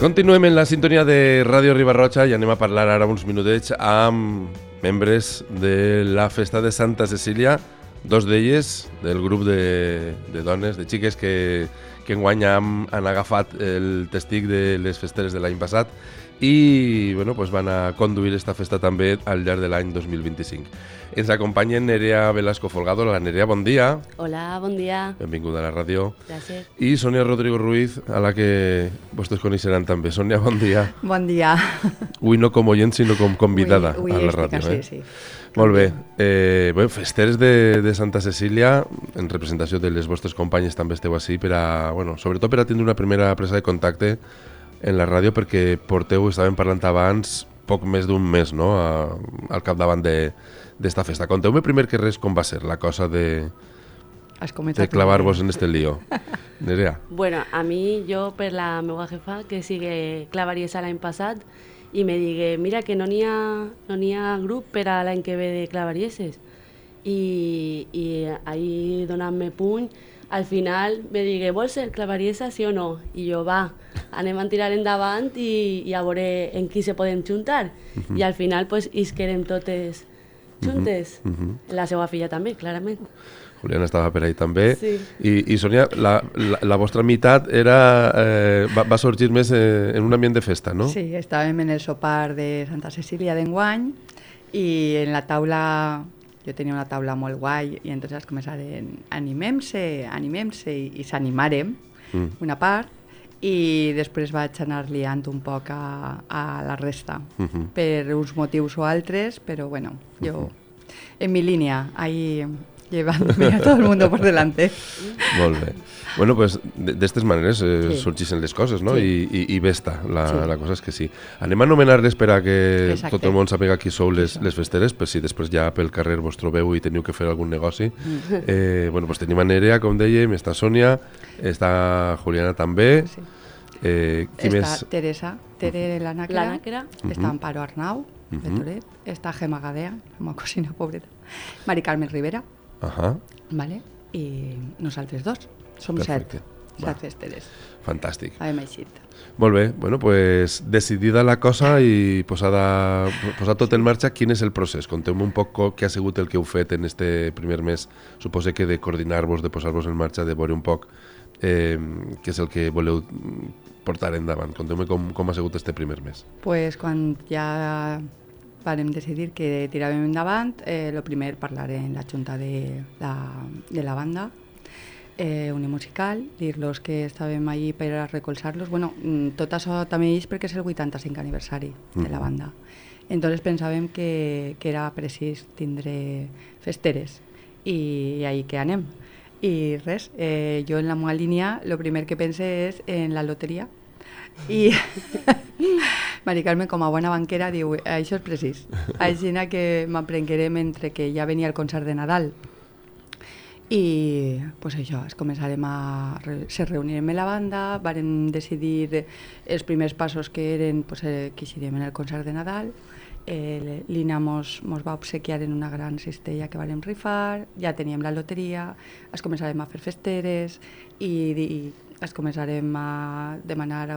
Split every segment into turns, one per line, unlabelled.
Continuem en la sintonia de Ràdio Riba-roja i anem a parlar ara uns minutets amb membres de la festa de Santa Cecília, dos d'elles del grup de dones, de xiques que enguany han agafat el testic de les festeres de l'any passat i bueno, pues van a conduir esta festa també al llarg de l'any 2025. Ens acompanyen Nerea Velasco Folgado. La Nerea, bon dia.
Hola, bon dia.
Benvinguda a la ràdio.
Gràcies.
I Sònia Rodrigo Ruiz, a la que vostès coneixeran també. Sònia, bon dia.
Bon dia.
Avui no com oient, sinó com convidada
avui
a la ràdio.
Sí, sí.
Molt bé. Bueno, festeres de Santa Cecília, en representació de les vostres companyes també esteu així, per a, bueno, sobretot per a tindre una primera presa de contacte en la ràdio, perquè porteu, estàvem parlant abans, poc més d'un mes, no?, al capdavant d'esta festa. Conteu-me primer que res com va ser la cosa de clavar-vos en este lío. Nerea.
Bueno, a mi, jo, per la meva jefa, que sigue clavariesa l'any passat, i me digué, mira, que no n'hi ha grup per a l'any que ve de clavarieses. I ahir, donant-me puny, al final me digué, vols ser clavariesa, sí o no? I jo, va, anem a tirar endavant i a veure en qui se poden juntar. I al final, pues, isquerem totes juntes. La seva filla també, clarament.
Juliana estava per ahí també.
Sí.
I Sònia, la vostra meitat va sorgir més en un ambient de festa, no?
Sí, estàvem en el sopar de Santa Cecília d'enguany i en la taula, jo tenia una taula molt guai i entonces començaren animem-se i s'animàrem una part i després vaig anar liant un poc a la resta per uns motius o altres, però bueno, jo en mi línia, ahí llevándome a todo el mundo por delante.
Molt bé. Bueno, pues de estas maneres sorgeixen les coses, no?
Sí.
I bé està, la cosa és que sí. Anem a anomenar-les per a que tot el món sàpiga qui sou les festeres, per si després ja pel carrer vos trobeu i teniu que fer algun negoci. Bueno, pues tenim a Nerea, com dèiem, està Sònia, està Juliana també.
Sí.
Qui més?
Està Teresa, Tere l'Ànacra, està Amparo Arnau, de Toret, està Gemma Gadea, una cosina pobreta, Mari Carmen Rivera, vale? I nosaltres dos. Som set festeres.
Fantàstic.
Hem eixit.
Molt bé, bueno, pues decidida la cosa i posat tot en marxa, quin és el procés? Conteu-me un poc què ha sigut el que heu fet en este primer mes, suposo que de coordinar-vos, de posar-vos en marxa, de veure un poc què és el que voleu portar endavant. Conteu-me com ha sigut este primer mes.
Pues quan ja vam decidir que tiràvem endavant, el primer parlar en la junta de la banda unimusical, dir-los que estàvem allí per a recolzar-los. Bueno, tot això també és perquè és el 85 aniversari de la banda. Entonces pensàvem que era precís tindre festeres i ahí que anem. I res, jo en la meva línia el primer que pense és en la loteria i Mari Carmen, com a bona banquera, diu això és precís, així que m'aprenguerem entre que ja venia el concert de Nadal i pues això, se reunirem en la banda, vàrem decidir els primers passos que eren pues, que eixirem en el concert de Nadal. L'Ina mos va obsequiar en una gran cistella que vàrem rifar, ja teníem la loteria, es començarem a fer festeres i es començarem a demanar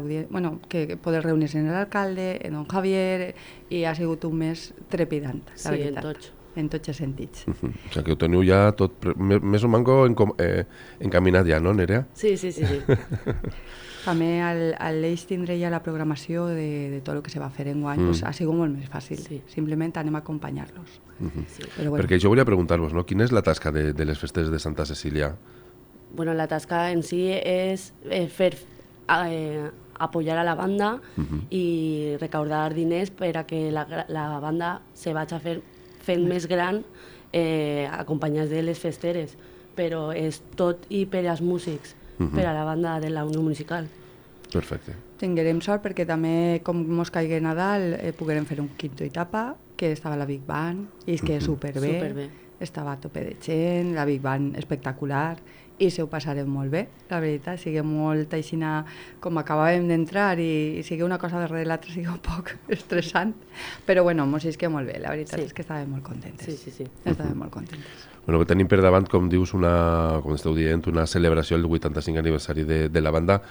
que poder reunir-se en l'alcalde, en don Javier, i ha sigut un mes trepidant, la veritat. En tots els sentits.
O sigui que ho teniu ja tot més o manco encaminat ja, no, Nerea?
Sí.
També l'eix tindre ja la programació de tot el que se va fer enguany pues, ha sigut molt més fàcil. Sí. Simplement anem a acompanyar-los.
Bueno. Perquè jo volia preguntar-vos, no? Quina és la tasca de les festes de Santa Cecília?
Bueno, la tasca en si és fer apoyar a la banda i recaudar diners per a que la banda se vagi fent més gran acompanyats de les festeres, però és tot i per als músics, per a la banda de la Unió Musical.
Perfecte.
Tinguerem sort perquè també, com mos caigui Nadal, poguerem fer un quinto etapa, que estava la Big Band, i és que superbé. Estava a tope de gent, la Big Band espectacular, i se ho passarem molt bé, la veritat, sigui molt aixina com acabàvem d'entrar i sigui una cosa darrere l'altra, sigui un poc estressant, però bueno, mos isque molt bé, la veritat és que estàvem molt contentes.
Sí.
Estàvem molt contentes.
Bueno, que tenim per davant, com dius, com esteu dient, una celebració del 85 aniversari de la banda,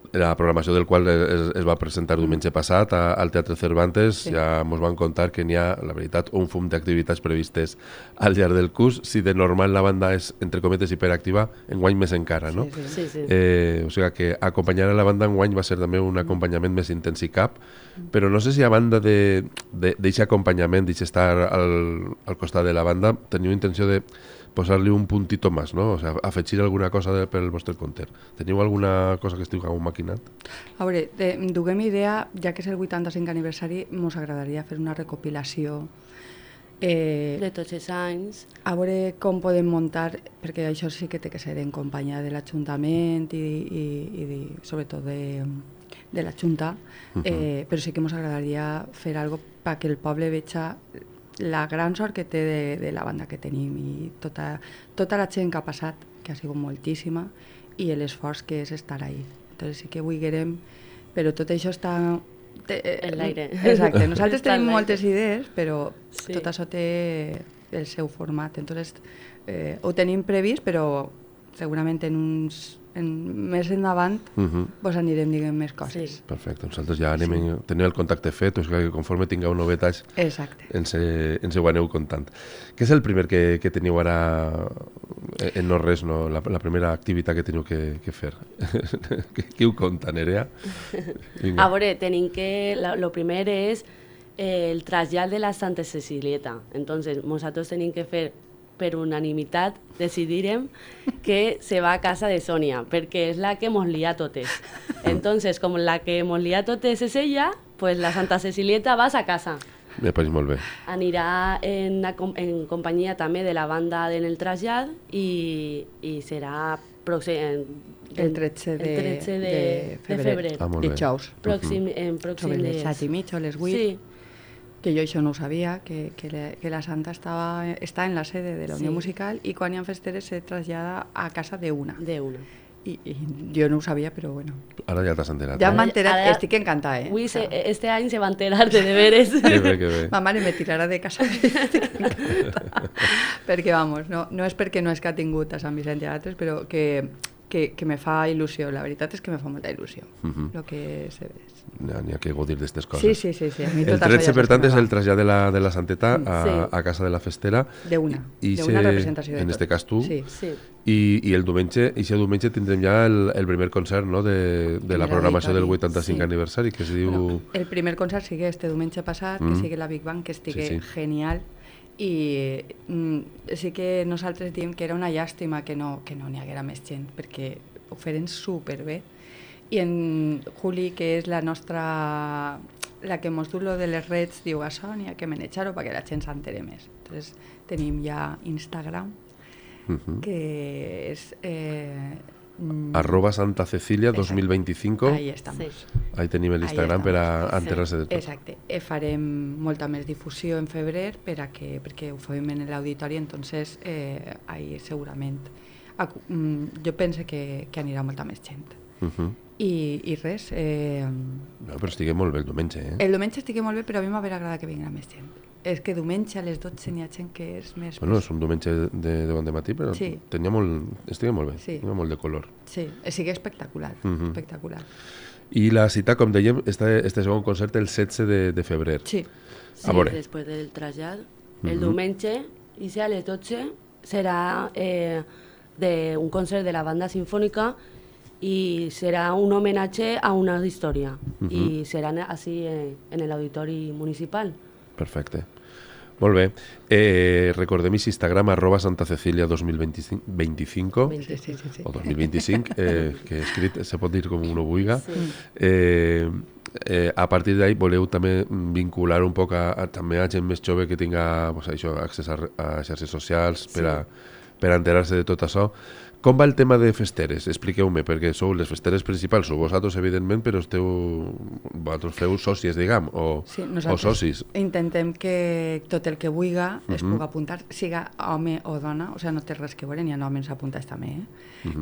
la programació del qual es va presentar diumenge passat al Teatre Cervantes. Ja ens van contar que n'hi ha, la veritat, un fum d'activitats previstes al llarg del curs. Si de normal la banda és, entre cometes, hiperactiva, enguany més encara, no?
Sí.
O sigui que acompanyar a la banda enguany va ser també un acompanyament més intens i cap, però no sé si a banda d'aquest acompanyament, d'estar al costat de la banda, teniu intenció de posar-li un puntito més, no? O sigui, afegir alguna cosa pel vostre compte. Teniu alguna cosa que estigueu maquinat?
A veure, duguem idea, ja que és el 85 aniversari, ens agradaria fer una recopilació
de tots els anys.
A veure com podem muntar, perquè això sí que té que ser en companyia de l'Ajuntament i sobretot de la Junta, però sí que ens agradaria fer alguna cosa perquè el poble veja la gran sort que té de la banda que tenim i tota la gent que ha passat, que ha sigut moltíssima, i l'esforç que és estar ahí. Entonces sí que vulguerem, però tot això està
en l'aire.
Exacte, nosaltres tenim moltes idees, però tot això té el seu format. Entonces ho tenim previst, però segurament més endavant vos anirem dient més coses.
Sí. Perfecte, nosaltres ja tenim el contacte fet, o sigui que conforme tingueu novetats ens ho aneu contant. Què és el primer que teniu ara en no res, no? La primera activitat que teniu que fer? Qui ho conta, Nerea?
A veure, tenim que... Lo primer és el trasllat de la Santa Cecilieta. Entonces, nosaltres tenim que fer per unanimitat decidirem que se va a casa de Sònia, perquè és la que mos lia totes. Entonces, com la que mos lia totes és ella, pues la Santa Cecilieta vas a casa.
Me pareix molt bé.
Anirà en companyia també de la banda en el trasllat i serà
el 13 de febrer. Dijous.
Pròxim
sobre les 7:30 o les 8. Sí. Que jo això no ho sabia, que la Santa està en la sede de la Unió Musical i quan hi ha festeres se trasllada a casa d'una. I jo no ho sabia, però bueno.
Ara ja t'has enterat.
Ja m'ha enterat, estic encantada,
Avui, este any se va enterar de veres.
Que bé.
Ma mare me tirarà de casa, estic encantada. Perquè, vamos, no és perquè no és que ha tingut a Sant Vicent i a altres, però que me fa il·lusió, la veritat és que me fa molta il·lusió, el que se ve.
N'hi ha que gaudir d'aquestes coses.
Sí.
El 13, per tant, és el trasllat de la Santeta a casa de la festera.
D'una representació.
En aquest cas tu.
Sí.
I el diumenge tindrem ja el primer concert, no?, de la programació del 85 aniversari, que es diu...
Bueno, el primer concert sigui este diumenge passat, que sigui la Big Bang, que estigui genial. I sí que nosaltres diem que era una llàstima que no n'hi haguera més gent, perquè ho feren superbé. I en Juli, que és la que mos du lo de les redes, diu a Sònia que menjar-ho perquè la gent s'entere més. Entonces tenim ja Instagram, que és...
@SantaCecilia 2025.
Ahí estamos.
Ahí tenim l'Instagram per a enterar-se de tot.
Exacte. Farem molta més difusió en febrer perquè ho fem en l'auditori, entonces ahí segurament jo penso que anirà molta més gent. I res...
No, però estigui molt bé el diumenge,
El diumenge estigui molt bé, però a mi m'hauria agradat que vinguera més gent. És que diumenge a les 12 n'hi ha gent que és més...
Bueno, és un diumenge de bon dematí, però estigui molt bé, tenia molt de color.
Sí, sigui espectacular, espectacular.
I la cita, com dèiem, este segon concert el 16 de febrer.
Sí, després del trasllat. El diumenge, i a les 12, serà un concert de la banda sinfònica i serà un homenatge a una història i serà així en l'auditori municipal.
Perfecte. Molt bé. Recordem Instagram @SantaCecilia 2025 o 2025, que escrit se pot dir com uno vulga. A partir d'ahí voleu també vincular un poc també a gent més jove que tinga accés a xarxes socials per a enterar-se de tot això. Com va el tema de festeres? Expliqueu-me, perquè sou les festeres principals, sou vosaltres, evidentment, però vosaltres feu sòcies, diguem, o socis.
Intentem que tot el que vulgui es pugui apuntar, siga home o dona, o sigui, no té res que veure, n'hi ha homes apuntats també,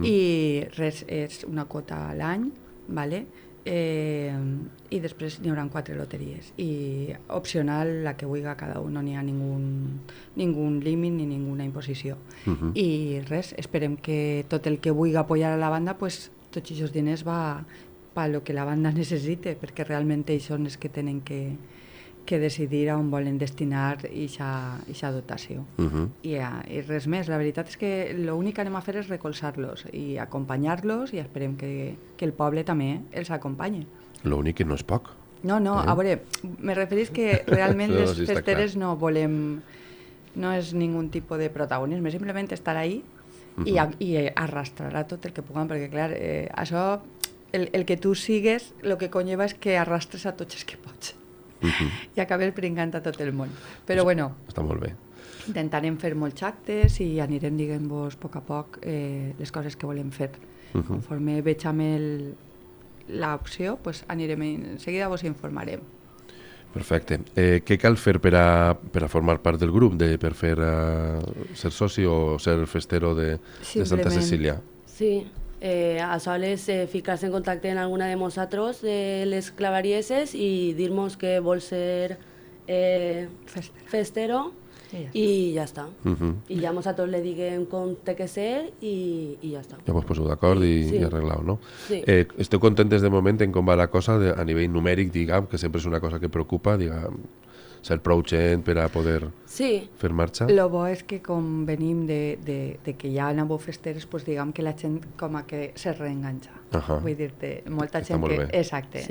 I res, és una quota a l'any, vale? I després n'hi haurà 4 loteries i opcional la que vulgui cada un, no n'hi ha ningú límit ni ninguna imposició i res, esperem que tot el que vulgui apoyar a la banda pues, tots aquests diners va per lo que la banda necessite perquè realment ells són els que tenen que decidir on volen destinar aquesta dotació I res més, la veritat és que l'únic que anem a fer és recolzar-los i acompanyar-los i esperem que el poble també els acompanyi.
L'únic que no és poc.
No, a veure, me referís que realment les festeres no volem, no és ningú tipus de protagonisme, simplement estar ahí i arrastrar a tot el que puguem, perquè clar, això, el que tu sigues, el que conlleva és que arrastres a tots els que pots. I acabes pringant a tot el món. Però bueno,
està molt bé.
Intentarem fer molts actes i anirem dient-vos a poc les coses que volem fer. Conforme veig amb l'opció, pues anirem en seguida vos informarem.
Perfecte. Què cal fer per a formar part del grup, per fer ser soci o ser festero de Santa Cecília?
Sí. Sols ficar-se en contacte amb alguna de nosaltres, de les clavarieses, i dir-nos que vol ser festero i ja està. I ja nosaltres le diguem com té que ser i ja està.
Ja vos poseu d'acord i arreglau, no?
Sí.
Esteu contentes de moment en com va la cosa a nivell numèric, diguem, que sempre és una cosa que preocupa, diguem, ser prou gent per a poder fer marxa?
Lo bo és que com venim de que ja aneu festeres, pues diguem que la gent com a que se reenganxa. Vull dir-te, molta gent que... Exacte.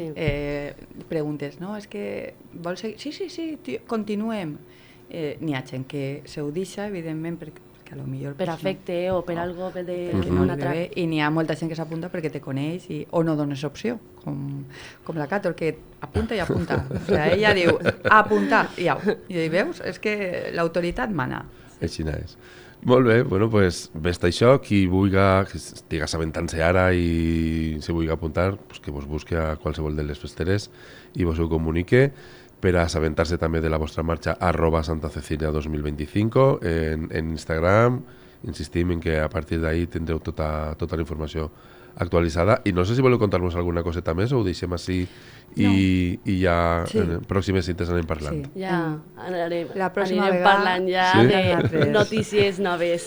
Preguntes, no? És que vols seguir? Sí, continuem. N'hi ha gent que se ho deixa, evidentment, perquè a lo millor...
Per afecte o per algo de
un altre. I n'hi ha molta gent que s'apunta perquè te coneix o no dones opció, com la Cator, que apunta i apunta. O sigui, ella diu, apuntar, i au. I veus, és que l'autoritat mana.
Així és. Molt bé, bueno, pues, vist això, qui vulgui, que estigui assabentant-se ara i se vulgui apuntar, pues, que vos busqui a qualsevol de les festeres i vos ho comunique per a assabentar-se també de la vostra marxa @santacecilia2025 en Instagram. Insistim en que a partir d'ahí tindreu tota la informació actualitzada i no sé si voleu contar-nos alguna coseta més o ho deixem així i ja en pròximes cintes anem parlant.
Sí, ja anirem
vegada
parlant ja de notícies noves.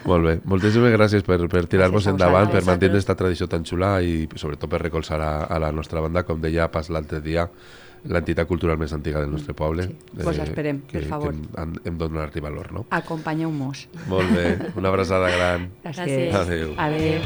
Molt bé, moltíssimes gràcies per tirar-vos endavant, per mantenir aquesta tradició tan xula i sobretot per recolzar a la nostra banda, com deia pas l'altre dia, l'entitat cultural més antiga del nostre poble.
Vos esperem, per favor.
Que hem de donar-li valor, no?
Acompanyeu-nos.
Molt bé, una abraçada gran.
Gràcies.
Adéu.
Adéu.